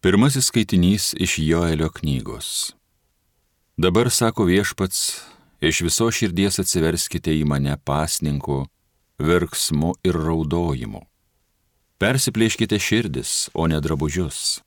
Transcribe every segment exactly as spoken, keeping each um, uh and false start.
Pirmasis skaitinys iš Joelio knygos. Dabar, sako Viešpats, iš viso širdies atsiverskite į mane pasninku, verksmu ir raudojimu. Persiplėškite širdis, o ne drabužius.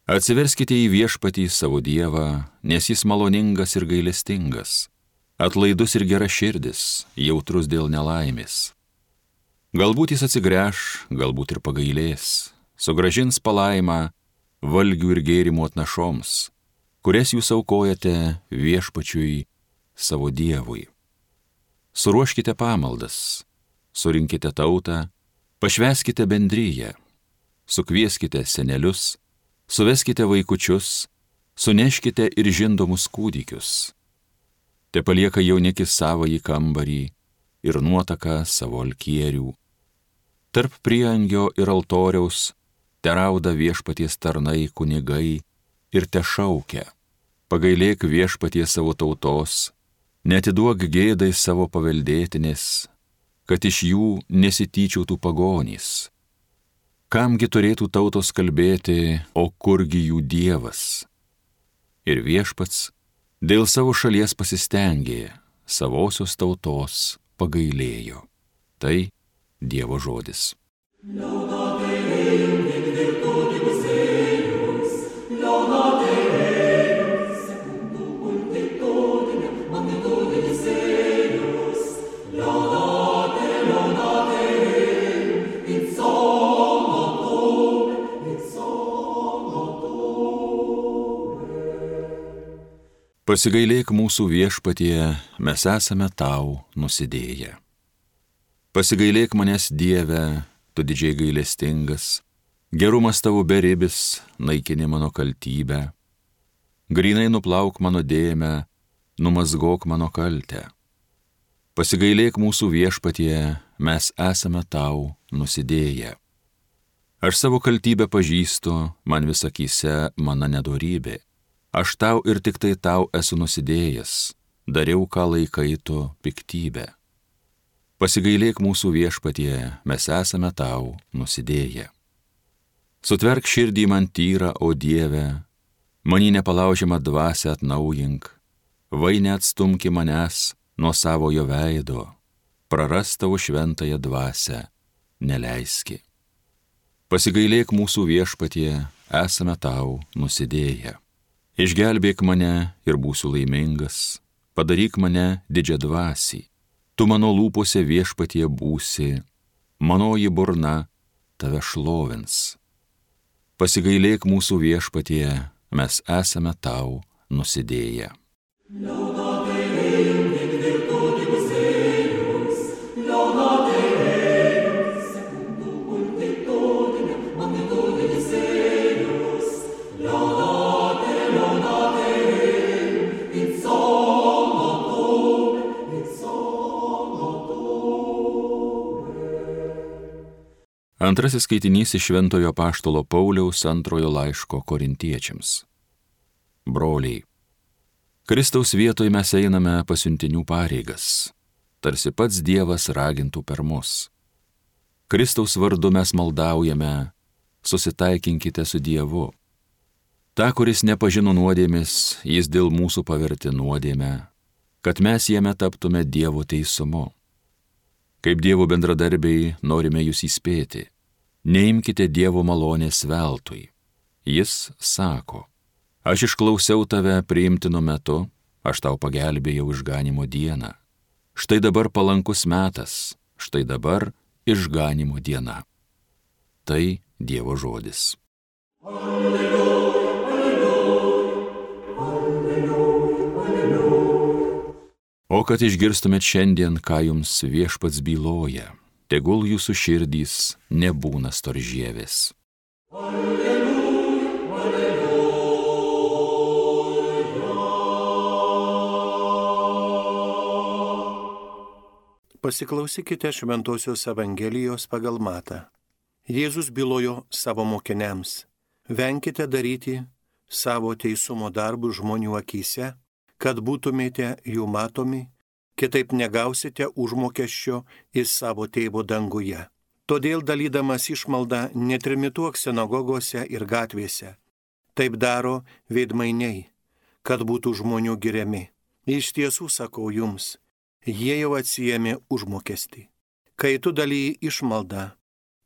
Atsiverskite į Viešpatį savo Dievą, nes jis maloningas ir gailestingas, atlaidus ir gera širdis, jautrus dėl nelaimės. Galbūt jis atsigręš, galbūt ir pagailės, sugrąžins palaimą valgių ir gėrimų atnašoms, kurias jūs aukojate Viešpačiui savo Dievui. Suruoškite pamaldas, surinkite tautą, pašvęskite bendryją, sukvieskite senelius, suveskite vaikučius, suneškite ir žindomus kūdikius. Te palieka jaunikis savąjį kambarį ir nuotaka savo alkierių. Tarp prieangio ir altoriaus terauda Viešpaties tarnai kunigai ir te šaukia: pagailėk Viešpaties savo tautos, neatiduok gėdai savo paveldėtinės, kad iš jų nesityčiautų pagonys. Kamgi turėtų tautos kalbėti, o kurgi jų Dievas? Ir Viešpats dėl savo šalies pasistengė, savosios tautos pagailėjo. Tai Dievo žodis. Pasigailėk mūsų Viešpatie, mes esame tau nusidėję. Pasigailėk manęs, Dieve, tu didžiai gailestingas, gerumas tavo beribis, naikini mano kaltybę. Grynai nuplauk mano dėmę, numazgok mano kaltę. Pasigailėk mūsų Viešpatie, mes esame tau nusidėję. Aš savo kaltybę pažįstu, man vis akyse mano nedorybė. Aš tau ir tik tai tau esu nusidėjęs, dariau, ką laikai tu piktybę. Pasigailėk mūsų Viešpatie, mes esame tau nusidėję. Sutverk širdį man tyrą, o Dieve, manį nepalaužiamą dvasią atnaujink, vai neatstumki manęs nuo savojo veido, prarast tavo šventąją dvasią neleiski. Pasigailėk mūsų Viešpatie, esame tau nusidėję. Išgelbėk mane ir būsiu laimingas, padaryk mane didžiadvasį. Tu mano lūpose Viešpatie būsi, manoji burna tave šlovins. Pasigailėk mūsų Viešpatie, mes esame tau nusidėję. Antrasis skaitinys iš Šventojo Apaštalo Pauliaus antrojo laiško Korintiečiams. Broliai, Kristaus vietoj mes einame pasiuntinių pareigas, tarsi pats Dievas ragintų per mus. Kristaus vardu mes maldaujame, susitaikinkite su Dievu. Ta, kuris nepažino nuodėmės, jis dėl mūsų pavertė nuodėmę, kad mes jame taptume Dievo teisumu. Kaip Dievo bendradarbiai norime jūs įspėti, neimkite Dievo malonės veltui. Jis sako: aš išklausiau tave priimtinu metu, aš tau pagelbėjau išganimo dieną. Štai dabar palankus metas, štai dabar išganimo diena. Tai Dievo žodis. Alleluja, alleluja, alleluja, alleluja. O kad išgirstumėt šiandien, ką jums Viešpats byloja, tegul jūsų širdys nebūna storžievės. Alleluja, alleluja. Pasiklausykite Šventosios Evangelijos pagal Matą. Jėzus bylojo savo mokiniams: venkite daryti savo teisumo darbus žmonių akyse, kad būtumėte jų matomi, kitaip negausite užmokesčio iš savo tėvo danguje. Todėl dalydamas išmaldą netrimituok sinagogose ir gatvėse. Taip daro veidmainiai, kad būtų žmonių giriami. Iš tiesų sakau jums, jie jau atsijėmė užmokestį. Kai tu dalyji išmaldą,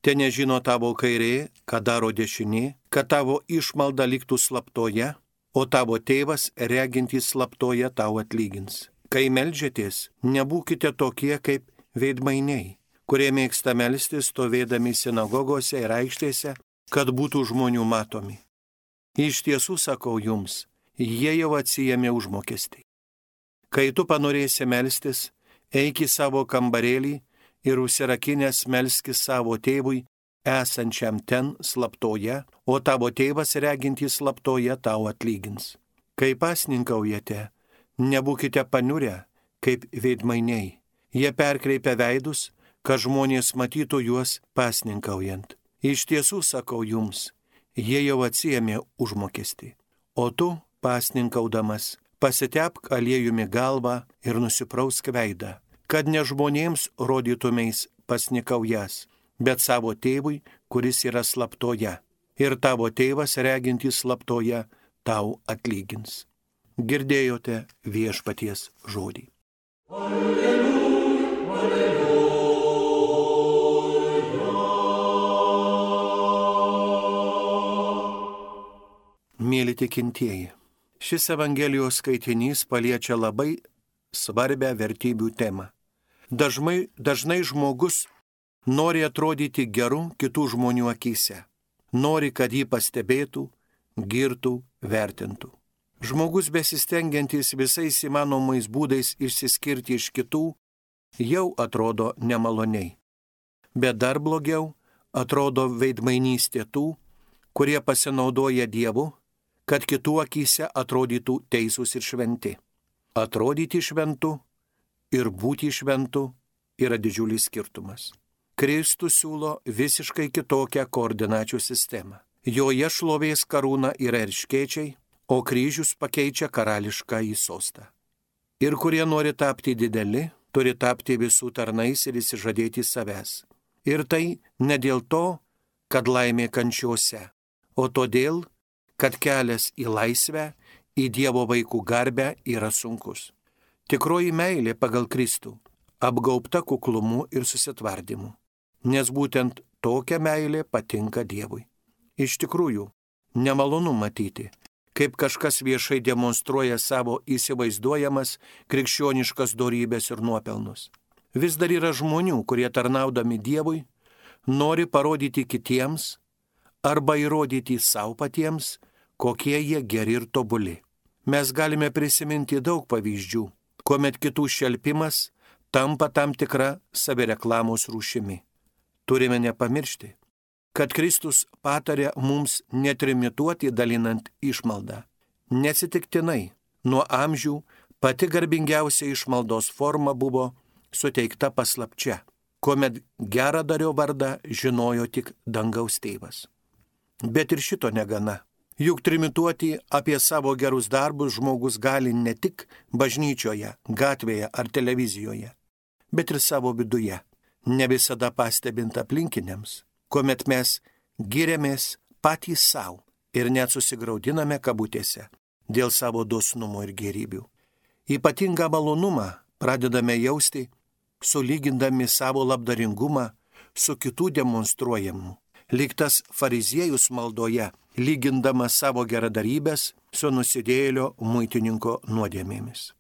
te nežino tavo kairė, ką daro dešinė, kad tavo išmalda liktų slaptoje, o tavo tėvas regintys slaptoje tau atlygins. Kai meldžiatės, nebūkite tokie kaip veidmainiai, kurie mėgsta melstis stovėdami sinagogose ir aikštėse, kad būtų žmonių matomi. Iš tiesų sakau jums, jie jau atsijėmė užmokestį. Kai tu panorėsi melstis, eik į savo kambarėlį ir užsirakinęs melskis savo tėvui, esančiam ten slaptoje, o tavo tėvas regintys slaptoje tau atlygins. Kai pasninkaujate, nebūkite paniurę kaip veidmainiai. Jie perkreipia veidus, kad žmonės matytų juos pasninkaujant. Iš tiesų sakau jums, jie jau atsiėmė užmokestį. O tu, pasninkaudamas, pasitepk aliejumi galvą ir nusiprausk veidą, kad ne žmonėms rodytumeis pasnikaujas, bet savo tėvui, kuris yra slaptoje. Ir tavo tėvas regintys slaptoje tau atlygins. Girdėjote viešpaties žodį. Alleluja, alleluja. Mėly tikintieji, šis Evangelijos skaitinys paliečia labai svarbią vertybių temą. Dažnai, dažnai žmogus nori atrodyti geru kitų žmonių akyse. Nori, kad jį pastebėtų, girtų, vertintų. Žmogus besistengiantis visais įmanomais būdais išsiskirti iš kitų, jau atrodo nemaloniai. Bet dar blogiau atrodo veidmainystė tų, kurie pasinaudoja Dievu, kad kitų akyse atrodytų teisūs ir šventi. Atrodyti šventu ir būti šventu yra didžiulis skirtumas. Kristus siūlo visiškai kitokią koordinačių sistemą. Joje šlovės karūna yra erškėčiai, o kryžius pakeičia karališką į sostą. Ir kurie nori tapti dideli, turi tapti visų tarnais ir išsižadėti savęs. Ir tai ne dėl to, kad laimė kančiose, o todėl, kad kelias į laisvę, į Dievo vaikų garbę yra sunkus. Tikroji meilė pagal Kristų apgaubta kuklumu ir susitvardymu, nes būtent tokia meilė patinka Dievui. Iš tikrųjų, nemalonu matyti, kaip kažkas viešai demonstruoja savo įsivaizduojamas krikščioniškas dorybės ir nuopelnus. Vis dar yra žmonių, kurie tarnaudami Dievui nori parodyti kitiems arba įrodyti savo patiems, kokie jie geri ir tobuli. Mes galime prisiminti daug pavyzdžių, kuomet kitų šelpimas tampa tam tikra savireklamos rūšimi. Turime nepamiršti, kad Kristus patarė mums netrimituoti dalinant išmaldą. Neatsitiktinai, nuo amžių pati garbingiausia išmaldos forma buvo suteikta paslapčia, kuomet geradario vardą žinojo tik dangaus tėvas. Bet ir šito negana. Juk trimituoti apie savo gerus darbus žmogus gali ne tik bažnyčioje, gatvėje ar televizijoje, bet ir savo viduje, ne visada pastebint aplinkiniams, kuomet mes giriamės patys savo ir net susigraudiname kabutėse dėl savo dosnumo ir gėrybių. Ypatingą malonumą pradedame jausti, sulygindami savo labdaringumą su kitų demonstruojamu. Lyg tas fariziejus maldoje, lygindamas savo geradarybės su nusidėjėlio muitininko nuodėmėmis.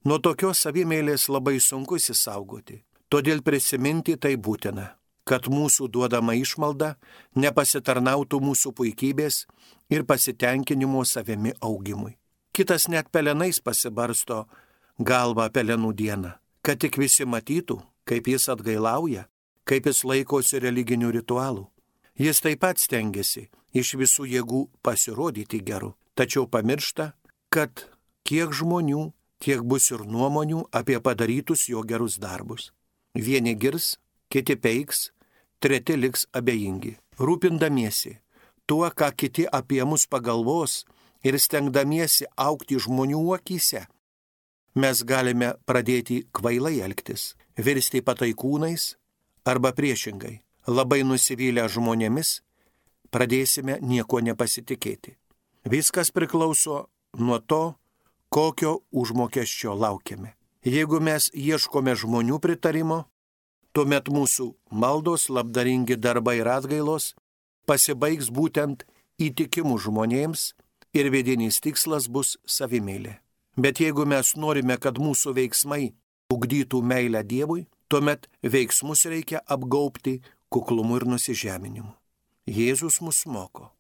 Nuo tokios savimeilės labai sunku įsisaugoti, todėl prisiminti tai būtina, kad mūsų duodama išmalda nepasitarnautų mūsų puikybės ir pasitenkinimo savimi augimui. Kitas net pelenais pasibarsto galvą pelenų dieną, kad tik visi matytų, kaip jis atgailauja, kaip jis laikosi religinių ritualų. Jis taip pat stengiasi iš visų jėgų pasirodyti geru, tačiau pamiršta, kad kiek žmonių, tiek bus ir nuomonių apie padarytus jo gerus darbus. Vieni girs, kiti peiks, treti liks abejingi. Rūpindamiesi tuo, ką kiti apie mus pagalvos ir stengdamiesi augti žmonių akyse, mes galime pradėti kvailai elgtis, virsti pataikūnais arba priešingai. labai nusivylę žmonėmis, pradėsime nieko nepasitikėti. Viskas priklauso nuo to, kokio užmokesčio laukiame. Jeigu mes ieškome žmonių pritarimo, tuomet mūsų maldos, labdaringi darbai ir atgailos pasibaigs būtent įtikimų žmonėms ir vidinis tikslas bus savimeilė. Bet jeigu mes norime, kad mūsų veiksmai ugdytų meilę Dievui, tuomet veiksmus reikia apgaubti kuklumu ir nusižeminimu. Jėzus mus moko.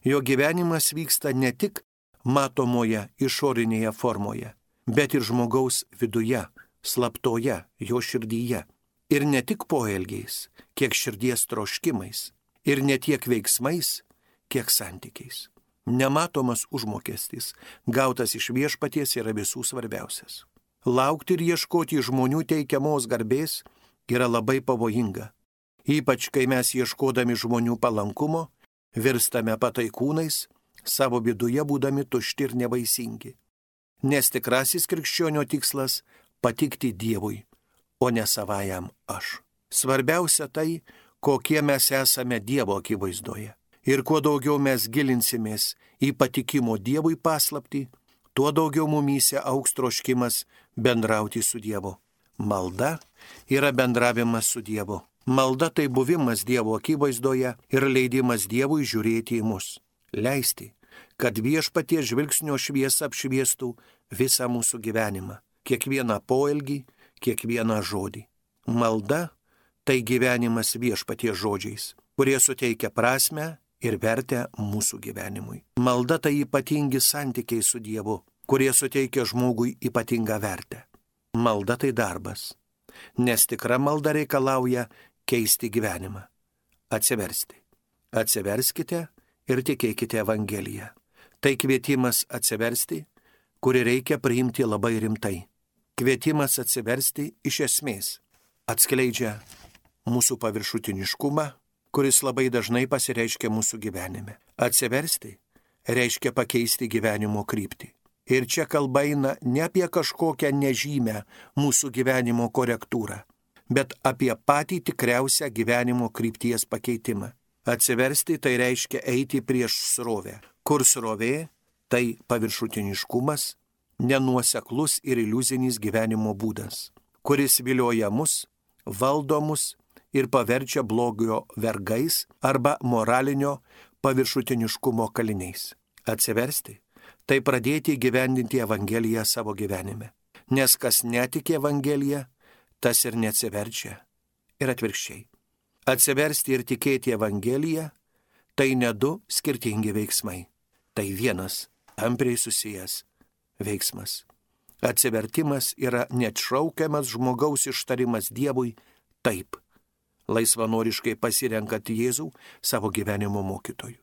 Jo gyvenimas vyksta ne tik matomoje išorinėje formoje, bet ir žmogaus viduje, slaptoje, jo širdyje. Ir ne tik poelgiais, kiek širdies troškimais, ir ne tiek veiksmais, kiek santykiais. Nematomas užmokestis, gautas iš viešpaties, yra visų svarbiausias. Laukti ir ieškoti žmonių teikiamos garbės yra labai pavojinga. Ypač, kai mes ieškodami žmonių palankumo, virstame pataikūnais, savo viduje būdami tušti ir nevaisingi. Nes tikrasis krikščionio tikslas – patikti Dievui, o ne savajam aš. Svarbiausia tai, kokie mes esame Dievo akivaizdoje. Ir kuo daugiau mes gilinsimės į patikimo Dievui paslaptį, tuo daugiau mumyse augs troškimas bendrauti su Dievu. Malda yra bendravimas su Dievu. Malda tai buvimas Dievo akivaizdoje ir leidimas Dievui žiūrėti į mus. Leisti, kad viešpaties žvilgsnio šviesa apšviestų visą mūsų gyvenimą, kiekvieną poelgį, kiekvieną žodį. Malda tai gyvenimas viešpaties žodžiais, kurie suteikia prasmę ir vertę mūsų gyvenimui. Malda tai ypatingi santykiai su Dievu, kurie suteikia žmogui ypatingą vertę. Malda tai darbas, nes tikra malda reikalauja keisti gyvenimą. Atsiversti. Atsiverskite ir tikėkite Evangeliją. Tai kvietimas atsiversti, kurį reikia priimti labai rimtai. Kvietimas atsiversti iš esmės atskleidžia mūsų paviršutiniškumą, kuris labai dažnai pasireiškia mūsų gyvenime. Atsiversti reiškia pakeisti gyvenimo kryptį. Ir čia kalba eina ne apie kažkokią nežymę mūsų gyvenimo korektūrą, bet apie patį tikriausią gyvenimo krypties pakeitimą. Atsiversti tai reiškia eiti prieš srovę, kur srovė tai paviršutiniškumas, nenuoseklus ir iliuzinis gyvenimo būdas, kuris vilioja mus, valdo mus ir paverčia blogio vergais arba moralinio paviršutiniškumo kaliniais. Atsiversti tai pradėti gyvendinti Evangeliją savo gyvenime, nes kas netiki Evangeliją, tas ir neatsiverčia. Ir atvirkščiai. Atsiversti ir tikėti Evangeliją tai ne du skirtingi veiksmai. Tai vienas, tampriai susijęs veiksmas. Atsivertimas yra neatšaukiamas žmogaus ištarimas Dievui taip, laisvanoriškai pasirenkant Jėzų savo gyvenimo mokytoju.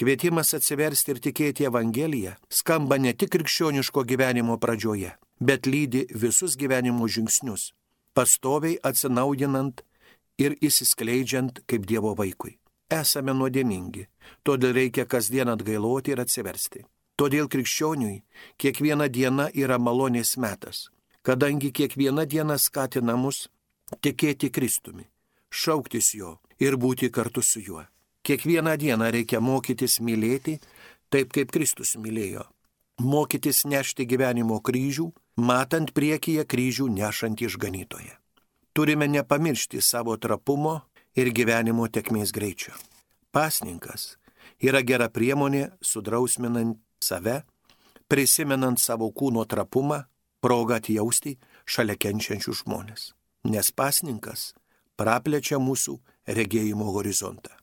Kvietimas atsiversti ir tikėti Evangeliją skamba ne tik krikščioniško gyvenimo pradžioje, bet lydi visus gyvenimo žingsnius, pastoviai atsinaujinant ir įsiskleidžiant kaip Dievo vaikui. Esame nuodėmingi, todėl reikia kasdien atgailoti ir atsiversti. Todėl krikščioniui kiekviena diena yra malonės metas, kadangi kiekviena diena skatina mus tikėti Kristumi, šauktis jo ir būti kartu su juo. Kiekvieną dieną reikia mokytis mylėti taip, kaip Kristus mylėjo. Mokytis nešti gyvenimo kryžių, matant priekyje kryžių nešant išganytoje. Turime nepamiršti savo trapumo ir gyvenimo tekmės greičio. Pasninkas yra gera priemonė sudrausminant save, prisimenant savo kūno trapumą, progą atjausti šalia kenčiančių žmonės. Nes pasninkas praplečia mūsų regėjimo horizontą.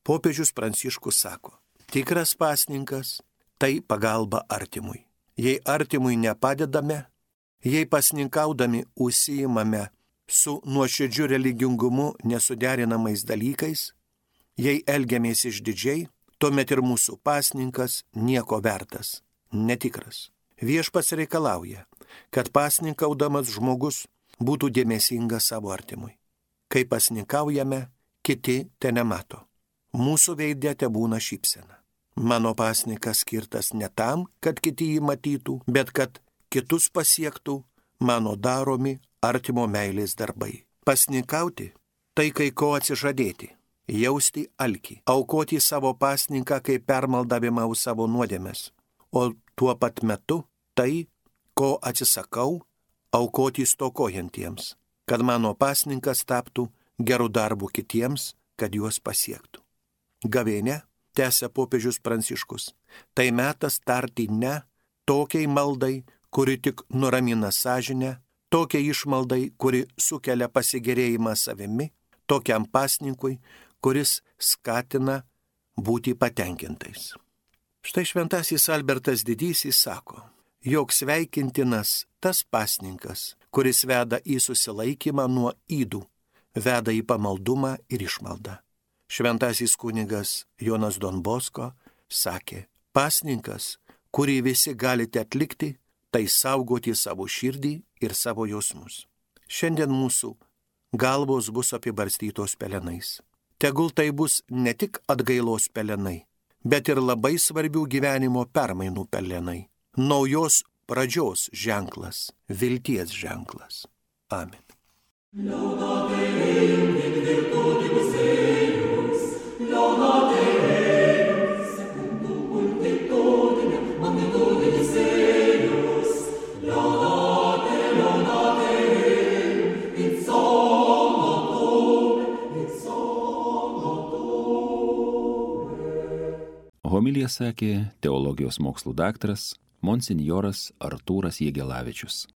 Popiežius Pranciškus sako, tikras pasninkas tai pagalba artimui. Jei artimui nepadedame, jei pasninkaudami užsiimame su nuoširdžiu religingumu nesuderinamais dalykais, jei elgiamės išdidžiai, tuomet ir mūsų pasninkas nieko vertas, netikras. Viešpats reikalauja, kad pasninkaudamas žmogus būtų dėmesingas savo artimui. Kai pasninkaujame, kiti te nemato. Mūsų veide tebūna šypsena. Mano pasninkas skirtas ne tam, kad kiti jį matytų, bet kad kitus pasiektų mano daromi artimo meilės darbai. Pasninkauti tai kai ko atsižadėti. jausti alkį, aukoti savo pasninką kaip permaldavimą už savo nuodėmes, o tuo pat metu tai, ko atsisakau, aukoti stokojantiems, kad mano pasninkas taptų gerų darbų kitiems, kad juos pasiektų. Gavėnia, tęsia popiežius Pranciškus, tai metas tarti ne tokiai maldai, kuri tik nuramina sąžinę, tokiai išmaldai, kuri sukelia pasigėrėjimą savimi, tokiam pasninkui, kuris skatina būti patenkintais. Štai šventasis Albertas Didysis sako, jog sveikintinas tas pasninkas, kuris veda į susilaikymą nuo ydų, veda į pamaldumą ir išmaldą. Šventasis kunigas Jonas Don Bosko sakė, pasninkas, kurį visi galite atlikti, tai saugoti savo širdį ir savo jausmus. Šiandien mūsų galvos bus apibarstytos pelenais. Tegul tai bus ne tik atgailos pelenai, bet ir labai svarbių gyvenimo permainų pelenai. Naujos pradžios ženklas, vilties ženklas. Amen. Laudate Deum in virtutibus eius, laudate Deum secundum multitudinem magnitudinis eius, laudate, laudate Deum in somno tuum, in somno tuum. Homiliją sakė teologijos mokslų daktaras monsinjoras Artūras Jegelavičius.